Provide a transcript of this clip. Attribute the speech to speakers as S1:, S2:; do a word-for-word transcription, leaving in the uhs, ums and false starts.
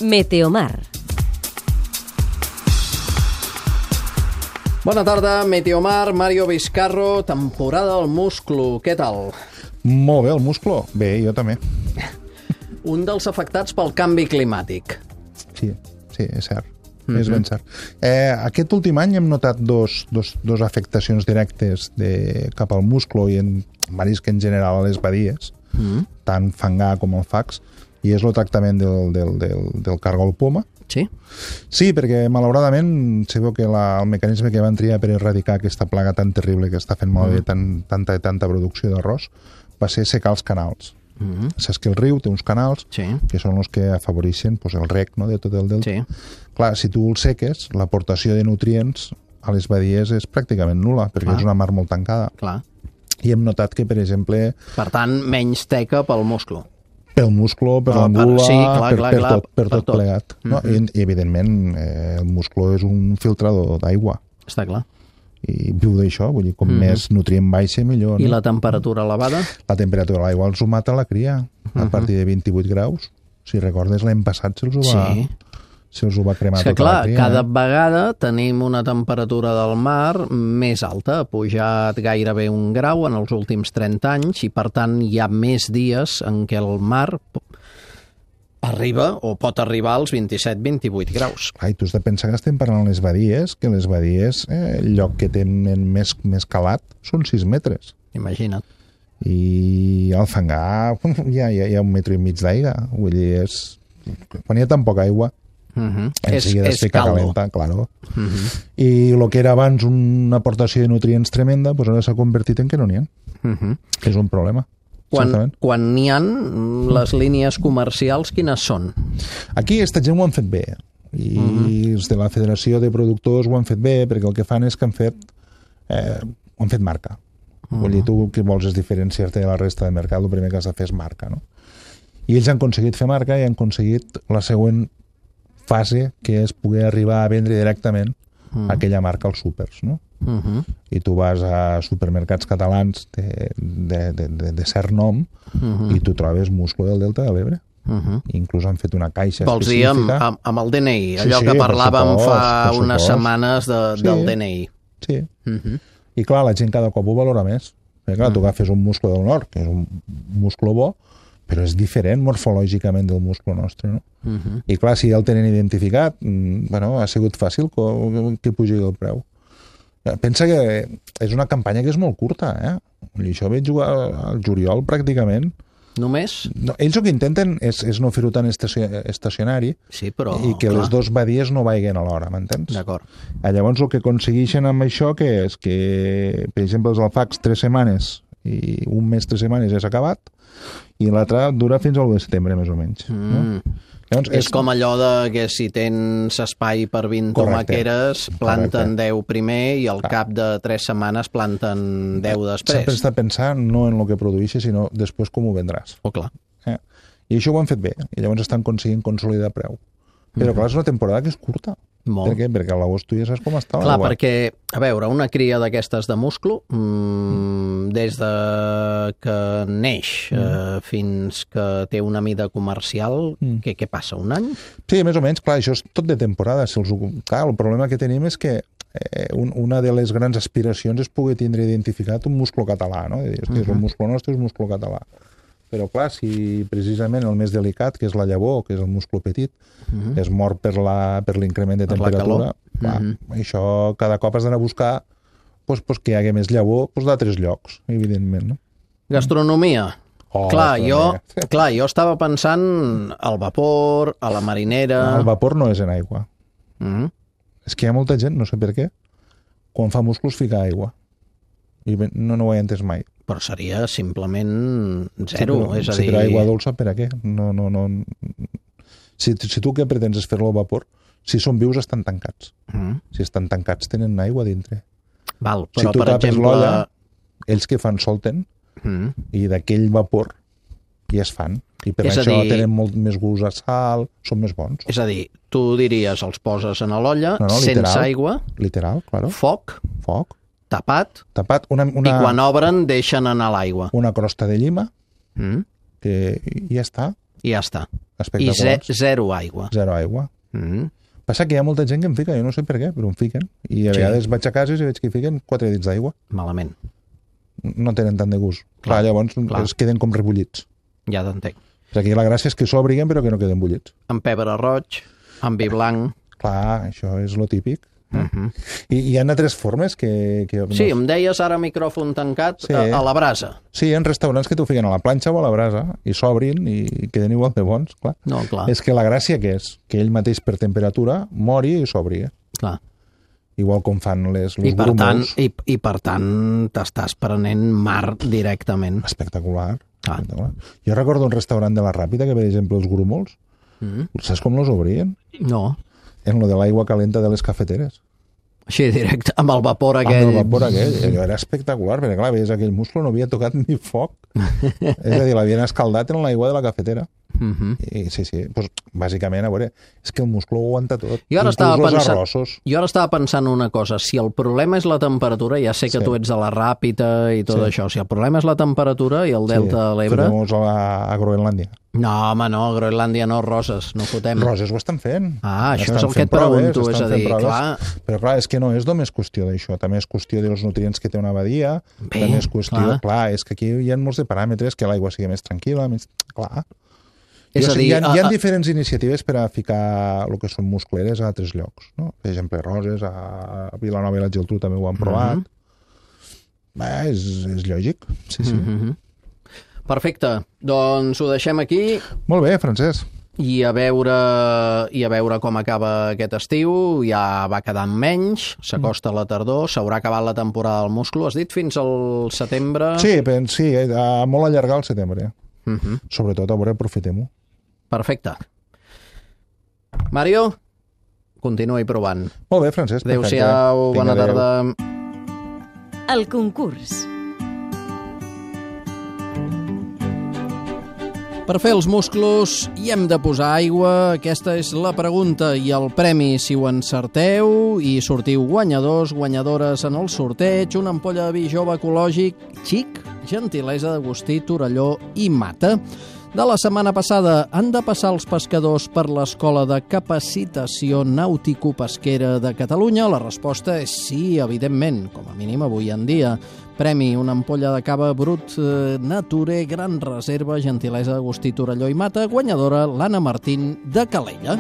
S1: Meteomar.
S2: Bona tarda, Meteomar, Mario Vizcarro, temporada del musclo. Què tal?
S3: Molt bé, el musclo. Bé, jo també.
S2: Un dels afectats pel canvi climàtic.
S3: Sí, sí, és cert. Mm-hmm. És ben cert. Eh, aquest últim any hem notat dos, dos, dos afectacions directes de, cap al musclo i en marisc en general a les badies, mm-hmm. tant fangar com el fax, i és el tractament del, del, del, del cargol poma.
S2: Sí?
S3: Sí, perquè malauradament sabeu que la, el mecanisme que van triar per erradicar aquesta plaga tan terrible que està fent malbé mm. tant, tanta tanta producció d'arròs va ser secar els canals. Mm-hmm. Saps que el riu té uns canals
S2: sí.
S3: que són els que afavoreixen pues, el rec, no?, de tot el delta.
S2: Sí.
S3: Clar, si tu el seques, l'aportació de nutrients a les badies és pràcticament nul·la, perquè Clar. és una mar molt tancada.
S2: Clar.
S3: I hem notat que, per exemple...
S2: Per tant, menys teca pel musclo.
S3: Pel musclo, per oh, l'angula,
S2: sí, clar,
S3: per,
S2: clar,
S3: per,
S2: clar,
S3: tot, per, per tot plegat. No?
S2: Mm-hmm.
S3: I, I, evidentment, eh, el musclo és un filtrador d'aigua.
S2: Està clar.
S3: I viu d'això, vull dir, com mm-hmm. més nutrient baixa, millor.
S2: I
S3: no?
S2: la temperatura elevada?
S3: La temperatura de l'aigua els ho mata la cria, mm-hmm. a partir de vint-i-vuit graus. Si recordes, l'any passat se'ls ho va...
S2: Sí.
S3: se'ls ho va cremar
S2: és que,
S3: tota
S2: clar,
S3: la cria.
S2: cada
S3: eh?
S2: vegada tenim una temperatura del mar més alta, ha pujat gairebé un grau en els últims trenta anys i, per tant, hi ha més dies en què el mar arriba o pot arribar als vint-i-set vint-i-vuit graus.
S3: Ai, tu has de pensar que estem parlant de les badies, que les badies, eh, el lloc que tenen més, més calat són sis metres.
S2: Imagina't.
S3: I al fangar ja, ja hi ha un metre i mig d'aigua. Vull dir, és... quan hi ha tan poca aigua,
S2: uh-huh.
S3: és, és caldo. Calenta, claro.
S2: Uh-huh.
S3: I el que era abans una aportació de nutrients tremenda, pues ara s'ha convertit en que no n'hi ha.
S2: Uh-huh.
S3: És un problema.
S2: Quan, quan n'hi ha, les línies comercials, quines són?
S3: Aquí aquesta gent ho han fet bé. I uh-huh. els de la Federació de Productors ho han fet bé, perquè el que fan és que han fet, eh, ho han fet marca. Uh-huh. Vull dir, tu que vols és diferenciar-te de la resta del mercat, el primer que has de fer és marca, no? I ells han aconseguit fer marca i han aconseguit la següent fase, que és poder arribar a vendre directament uh-huh. aquella marca als súpers, no? Uh-huh. I tu vas a supermercats catalans de, de, de, de, de cert nom uh-huh. i tu trobes musclo del Delta de l'Ebre. Uh-huh. Inclús han fet una caixa
S2: Vols
S3: específica.
S2: Vols dir amb, amb, amb el D N I, allò
S3: sí, sí,
S2: que parlàvem
S3: supost,
S2: fa unes setmanes de,
S3: sí.
S2: del D N I.
S3: Sí.
S2: Uh-huh.
S3: I clar, la gent cada cop ho valora més. Perquè clar, uh-huh. tu agafes un musclo del nord, que és un musclo bo, però és diferent morfològicament del musclo nostre, no? Uh-huh. I clar, si ja el tenen identificat, bueno, ha sigut fàcil que pugi el preu. Pensa que és una campanya que és molt curta, eh? I això vaig jugar al juliol pràcticament.
S2: Només?
S3: No, ells el que intenten és, és no fer-ho tan estacionari
S2: sí, però,
S3: i que
S2: clar.
S3: les dos badies no vaiguen alhora, m'entens?
S2: D'acord.
S3: Llavors el que aconsegueixen amb això que és que, per exemple, els alfacs tres setmanes i un mes, tres setmanes és acabat i l'altre dura fins al de setembre, més o menys. Mm. No? Llavors,
S2: és, és com allò de que si tens espai per vint tomaqueres, planten Correcte. deu primer i al Clar. cap de tres setmanes planten deu després.
S3: Sempre està pensant no en el que produeixes, sinó després com ho vendràs.
S2: Oh, clar.
S3: Eh? I això ho han fet bé, i llavors estan aconseguint consolidar preu. Però mm-hmm. clar, és una temporada que és curta.
S2: Molt.
S3: Per què? Perquè a l'agost tu ja saps com està
S2: Clar,
S3: l'aigua.
S2: perquè, a veure, una cria d'aquestes de musclo, mmm, des de que neix mm. eh, fins que té una mida comercial, mm. què, què passa, un any?
S3: Sí, més o menys, clar, això és tot de temporada. Si els... Clar, el problema que tenim és que eh, un, una de les grans aspiracions és poder tindre identificat un musclo català, no? De dir, hosti, mm-hmm. és un musclo nostre, és un musclo català. Però, clar, si precisament el més delicat, que és la llavor, que és el musclo petit, uh-huh. es mor per l'increment de
S2: per
S3: temperatura, clar, uh-huh. això cada cop has d'anar a buscar pues, pues, que hi hagi més llavor pues, d'altres llocs, evidentment. No?
S2: Gastronomia.
S3: Oh,
S2: clar,
S3: gastronomia.
S2: Jo, clar, jo estava pensant al vapor, a la marinera...
S3: El vapor no és en aigua.
S2: Uh-huh.
S3: És que hi ha molta gent, no sé per què, quan fa musclos fica aigua. I no, no ho he entès mai.
S2: Però seria simplement zero,
S3: sí, però,
S2: és a
S3: sí,
S2: dir...
S3: però aigua dolça per a què? No, no, no... Si, si tu què pretens és fer-lo al vapor, si són vius estan tancats. Mm. Si estan tancats tenen aigua dintre.
S2: Val, però
S3: si tu
S2: per
S3: tapes
S2: exemple...
S3: l'olla, ells que fan solten, mm. i d'aquell vapor ja es fan. I per
S2: és
S3: això
S2: dir...
S3: tenen molt més gust a sal, són més bons.
S2: És a dir, tu diries, els poses en l'olla,
S3: no, no, literal,
S2: sense aigua,
S3: literal, claro.
S2: foc,
S3: foc,
S2: tapat,
S3: tapat una, una,
S2: i quan obren deixen anar l'aigua.
S3: Una crosta de llima,
S2: mm.
S3: que ja està.
S2: I ja està. I
S3: Espectaculars.
S2: ze zero aigua.
S3: Zero aigua.
S2: Mm.
S3: Passa que hi ha molta gent que em fica, jo no sé per què, però em fiquen. I a
S2: Sí.
S3: vegades vaig a cases i veig que hi fiquen quatre dits d'aigua.
S2: Malament.
S3: No tenen tant de gust.
S2: Clar,
S3: Clar, llavors
S2: clar.
S3: es queden com rebullits.
S2: Ja t'entenc.
S3: O sigui, la gràcia és que s'obriguen però que no queden bullits.
S2: Amb pebre roig, amb vi blanc...
S3: Clar, això és lo típic.
S2: Uh -huh.
S3: I hi ha altres formes que... que
S2: Sí, em deies ara micròfon tancat
S3: Sí.
S2: a, a la brasa.
S3: Sí, hi ha restaurants que t'ho fiquen a la planxa o a la brasa i s'obrin i queden igual de bons, clar.
S2: No, clar,
S3: És que la gràcia que és que ell mateix per temperatura mori i s'obri.
S2: clar.
S3: Igual com fan les, les
S2: I per, tant,
S3: grúmols.
S2: i, I per tant t'estàs prenent mar directament.
S3: Espectacular.
S2: Ah.
S3: Espectacular. Jo recordo un restaurant de la Ràpita que, per exemple, els grúmols,
S2: Mm.
S3: saps com los obrien?
S2: No,
S3: En lo de l'aigua calenta de les cafeteres.
S2: així directe, amb el vapor aquell.
S3: Amb el vapor aquell. Allò era espectacular, perquè clar, veies aquell musclo, no havia tocat ni foc. És a dir, l'havien escaldat en l'aigua de la cafetera.
S2: Uh -huh.
S3: I sí, sí, doncs, bàsicament, a veure, és que el musclo ho aguanta tot.
S2: Jo ara,
S3: Inclús
S2: estava
S3: els
S2: pensant,
S3: arrossos.
S2: jo ara estava pensant una cosa, si el problema és la temperatura, ja sé que
S3: Sí.
S2: tu ets de la Ràpita i tot
S3: Sí.
S2: això, si el problema és la temperatura i el delta de l'Ebre...
S3: Fotem-nos a, a Groenlàndia.
S2: No, home, no, a Groenlàndia no, Roses, no fotem.
S3: Roses ho estan fent.
S2: Ah, això
S3: Estan
S2: és el que
S3: fent
S2: et pregunto,
S3: proves,
S2: és a
S3: estan fent
S2: dir,
S3: proves.
S2: clar...
S3: Però clar, és que no és només qüestió d'això, també és qüestió dels nutrients que té una badia,
S2: Bé,
S3: també és qüestió...
S2: clar.
S3: Clar. és que aquí hi ha molts de paràmetres, que l'aigua sigui més tranquil·la, més... Clar.
S2: És
S3: Jo
S2: a
S3: sé,
S2: dir,
S3: hi ha, hi ha
S2: a- a-
S3: diferents iniciatives per a ficar el que són muscleres a altres llocs, no? Per exemple, Roses, a Vilanova i la Geltrú també ho han provat.
S2: Mhm.
S3: Bé, és, és lògic, sí, sí.
S2: Mm -hmm. Perfecte, doncs ho deixem aquí
S3: Molt bé, Francesc.
S2: i a veure i a veure com acaba aquest estiu. Ja va quedant menys, s'acosta la tardor, s'haurà acabat la temporada del musclo. Has dit fins al setembre?
S3: Sí, pen, sí, eh, a molt allargar el setembre.
S2: Mm -hmm.
S3: Sobretot, a veure, aprofitem-ho.
S2: Perfecte. Mario, continuï provant.
S3: Molt bé, Francesc. perfecte.
S2: Adéu-siau,
S3: Vinga,
S2: bona
S3: adéu.
S2: tarda.
S1: El concurs.
S2: Per fer els musclos hi hem de posar aigua? Aquesta és la pregunta i el premi, si ho encerteu i sortiu guanyadors, guanyadores en el sorteig, una ampolla de vi jove ecològic xic, gentilesa d'Agustí Torelló i Mata. De la setmana passada, han de passar els pescadors per l'Escola de Capacitació Nàutico-Pesquera de Catalunya? La resposta és sí, evidentment, com a mínim avui en dia. Premi, una ampolla de cava brut eh, Nature, gran reserva, gentilesa d'Agustí Torelló i Mata, guanyadora l'Anna Martín de Calella.